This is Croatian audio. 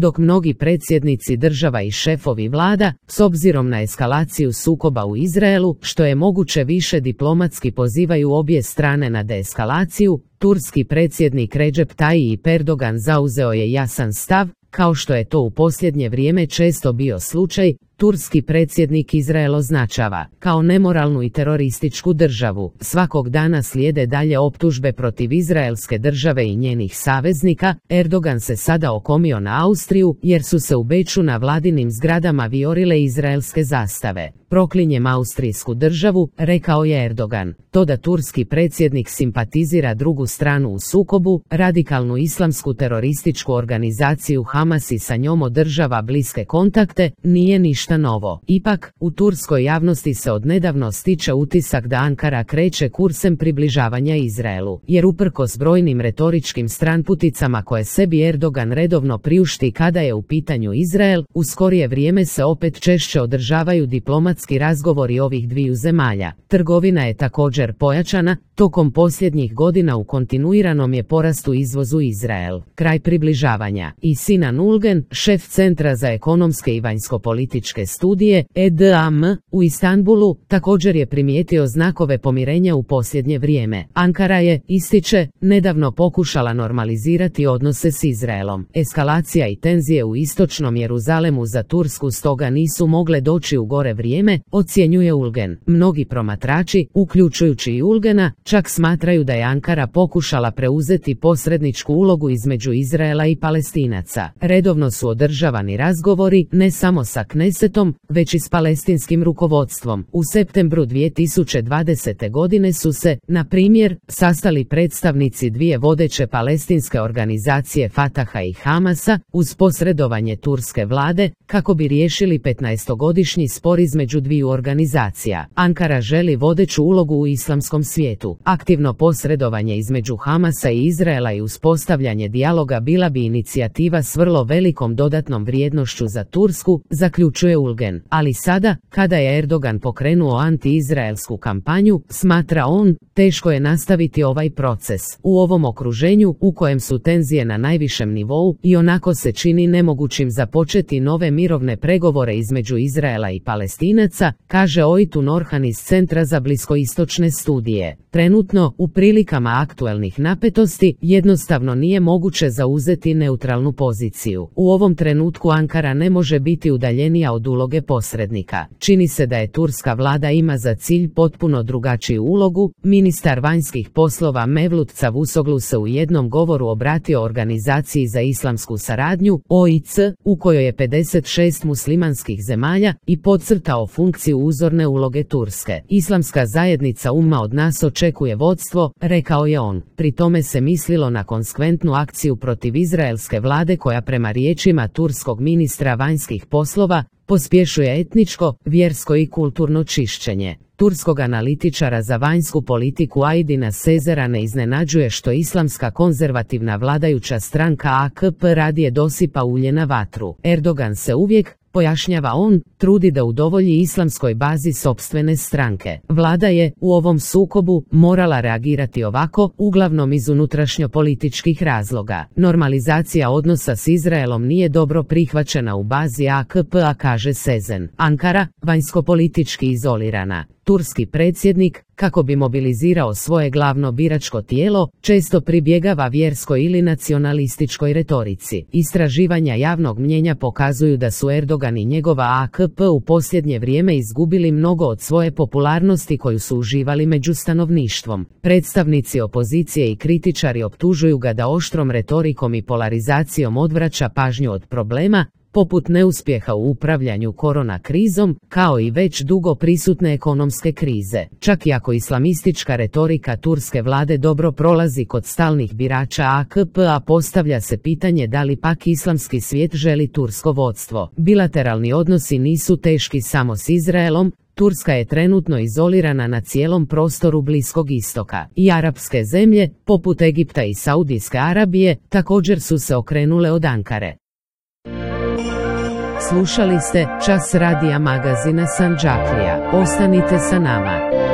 dok mnogi predsjednici država i šefovi vlada, s obzirom na eskalaciju sukoba u Izraelu, što je moguće više diplomatski pozivaju obje strane na deeskalaciju, turski predsjednik Recep Tayyip Erdogan zauzeo je jasan stav, kao što je to u posljednje vrijeme često bio slučaj. Turski predsjednik Izrael označava kao nemoralnu i terorističku državu. Svakog dana slijede dalje optužbe protiv izraelske države i njenih saveznika. Erdogan se sada okomio na Austriju jer su se u Beču na vladinim zgradama vijorile izraelske zastave. Proklinjem austrijsku državu, rekao je Erdogan. To da turski predsjednik simpatizira drugu stranu u sukobu, radikalnu islamsku terorističku organizaciju Hamas i sa njom održava bliske kontakte, nije ništa novo. Ipak, u turskoj javnosti se odnedavno stiče utisak da Ankara kreće kursem približavanja Izraelu, jer uprkos brojnim retoričkim stranputicama koje sebi Erdogan redovno priušti kada je u pitanju Izrael, u skorije vrijeme se opet češće održavaju diplomatski razgovori ovih dviju zemalja. Trgovina je također pojačana, tokom posljednjih godina u kontinuiranom je porastu izvozu Izrael. Kraj približavanja. I Sinan Ulgen, šef Centra za ekonomske i vanjskopolitičke studije, EDAM, u Istanbulu, također je primijetio znakove pomirenja u posljednje vrijeme. Ankara je, ističe, nedavno pokušala normalizirati odnose s Izraelom. Eskalacija i tenzije u istočnom Jeruzalemu za Tursku stoga nisu mogle doći u gore vrijeme, ocjenjuje Ulgen. Mnogi promatrači, uključujući i Ulgena, čak smatraju da je Ankara pokušala preuzeti posredničku ulogu između Izraela i Palestinaca. Redovno su održavani razgovori, ne samo sa Knesetom, već i s palestinskim rukovodstvom. U septembru 2020. godine su se, na primjer, sastali predstavnici dvije vodeće palestinske organizacije Fataha i Hamasa, uz posredovanje turske vlade, kako bi riješili 15-godišnji spor između dviju organizacija. Ankara želi vodeću ulogu u islamskom svijetu. Aktivno posredovanje između Hamasa i Izraela i uspostavljanje dijaloga bila bi inicijativa s vrlo velikom dodatnom vrijednošću za Tursku, zaključuje Ulgen. Ali sada, kada je Erdogan pokrenuo anti-izraelsku kampanju, smatra on, teško je nastaviti ovaj proces. U ovom okruženju, u kojem su tenzije na najvišem nivou, i onako se čini nemogućim započeti nove mirovne pregovore između Izraela i Palestinaca, kaže Oytun Orhan iz Centra za bliskoistočne studije. Trenutno, u prilikama aktuelnih napetosti, jednostavno nije moguće zauzeti neutralnu poziciju. U ovom trenutku Ankara ne može biti udaljenija od uloge posrednika. Čini se da je turska vlada ima za cilj potpuno drugačiju ulogu. Ministar vanjskih poslova Mevlut Cavusoglu se u jednom govoru obratio Organizaciji za islamsku saradnju, OIC, u kojoj je 56 muslimanskih zemalja, i podcrtao funkciju uzorne uloge Turske. Islamska zajednica umma od nas očekuje vodstvo, rekao je on. Pri tome se mislilo na konsekventnu akciju protiv izraelske vlade koja prema riječima turskog ministra vanjskih poslova pospješuje etničko, vjersko i kulturno čišćenje. Turskog analitičara za vanjsku politiku Aydina Sezera ne iznenađuje što islamska konzervativna vladajuća stranka AKP radije dosipa ulje na vatru. Erdogan se uvijek, pojašnjava on, trudi da udovolji islamskoj bazi sopstvene stranke. Vlada je, u ovom sukobu, morala reagirati ovako, uglavnom iz unutrašnjopolitičkih razloga. Normalizacija odnosa s Izraelom nije dobro prihvaćena u bazi AKP-a, kaže Sezen. Ankara, vanjskopolitički izolirana. Turski predsjednik, kako bi mobilizirao svoje glavno biračko tijelo, često pribjegava vjerskoj ili nacionalističkoj retorici. Istraživanja javnog mnijenja pokazuju da su Erdogan i njegova AKP u posljednje vrijeme izgubili mnogo od svoje popularnosti koju su uživali među stanovništvom. Predstavnici opozicije i kritičari optužuju ga da oštrom retorikom i polarizacijom odvraća pažnju od problema, poput neuspjeha u upravljanju korona krizom, kao i već dugo prisutne ekonomske krize. Čak i ako islamistička retorika turske vlade dobro prolazi kod stalnih birača AKP-a, postavlja se pitanje da li pak islamski svijet želi tursko vodstvo. Bilateralni odnosi nisu teški samo s Izraelom. Turska je trenutno izolirana na cijelom prostoru Bliskog istoka. I arapske zemlje, poput Egipta i Saudijske Arabije, također su se okrenule od Ankare. Slušali ste Čas radija magazina Sandžaklija. Ostanite sa nama.